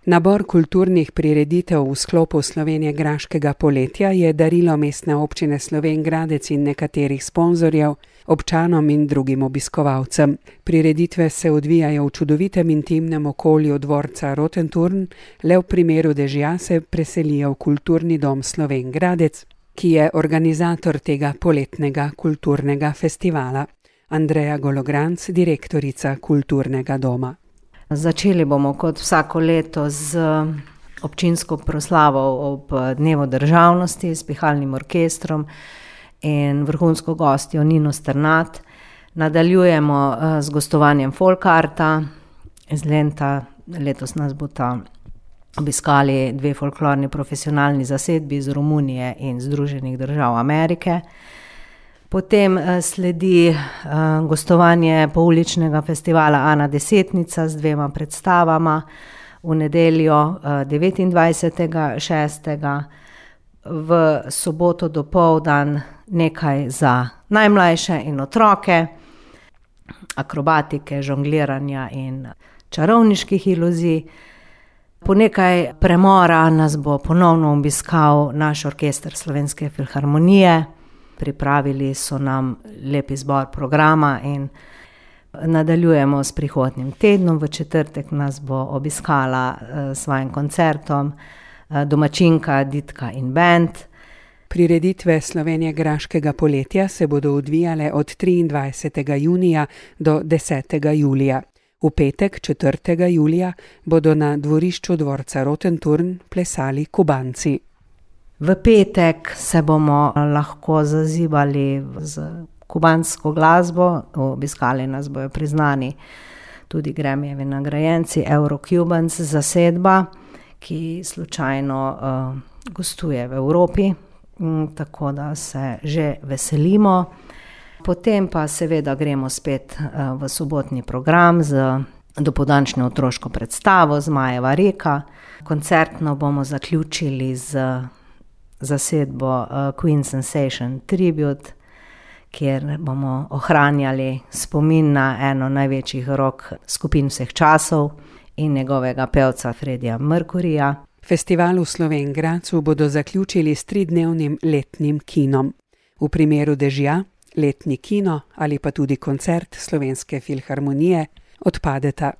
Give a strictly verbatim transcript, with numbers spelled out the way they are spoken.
Nabor kulturnih prireditev v sklopu Slovenjegraškega poletja je darilo Mestne občine Slovenj Gradec in nekaterih sponzorjev, občanom in drugim obiskovalcem. Prireditve se odvijajo v čudovitem intimnem okolju dvorca Rotenturn, le v primeru dežja se preselijo v Kulturni dom Slovenj Gradec, ki je organizator tega poletnega kulturnega festivala. Andreja Gologranc, direktorica Kulturnega doma. Začeli bomo kot vsako leto z občinsko proslavo ob dnevu državnosti s pihalnim orkestrom in vrhunsko gostjo Nino Strnad. Nadaljujemo z gostovanjem folk arta iz Lenta. Letos nas bosta obiskali dve folklorni profesionalni zasedbi iz Romunije in Združenih držav Amerike. Potem sledi gostovanje pouličnega festivala Ana Desetnica z dvema predstavama v nedeljo devetindvajsetega šestega v soboto dopoldan nekaj za najmlajše in otroke, akrobatike, žongliranja in čarovniških iluzij. Po nekaj premora nas bo ponovno obiskal naš orkester Slovenske filharmonije. Pripravili so nam lep izbor programa in nadaljujemo s prihodnjim tednom. V četrtek nas bo obiskala s svojim koncertom domačinka Ditka in band. Prireditve Slovenjegraškega poletja se bodo odvijale od triindvajsetega junija do desetega julija. V petek, četrtega julija, bodo na dvorišču dvorca Rotenturn plesali Kubanci. V petek se bomo lahko zazibali z kubansko glasbo, obiskali nas bojo priznani tudi Grammyjevi nagrajenci Eurocubans zasedba, ki slučajno uh, gostuje v Evropi, tako da se že veselimo. Potem pa seveda gremo spet uh, v sobotni program z dopoldančno otroško predstavo Zmajeva reka. Koncertno bomo zaključili z zasedbo uh, Queen Sensation Tribute, kjer bomo ohranjali spomin na eno največjih rock skupin vseh časov in njegovega pevca Freddija Mercuryja. Festival v Slovenj Gradcu bodo zaključili s tridnevnim letnim kinom. V primeru dežja, letni kino ali pa tudi koncert Slovenske filharmonije odpadeta.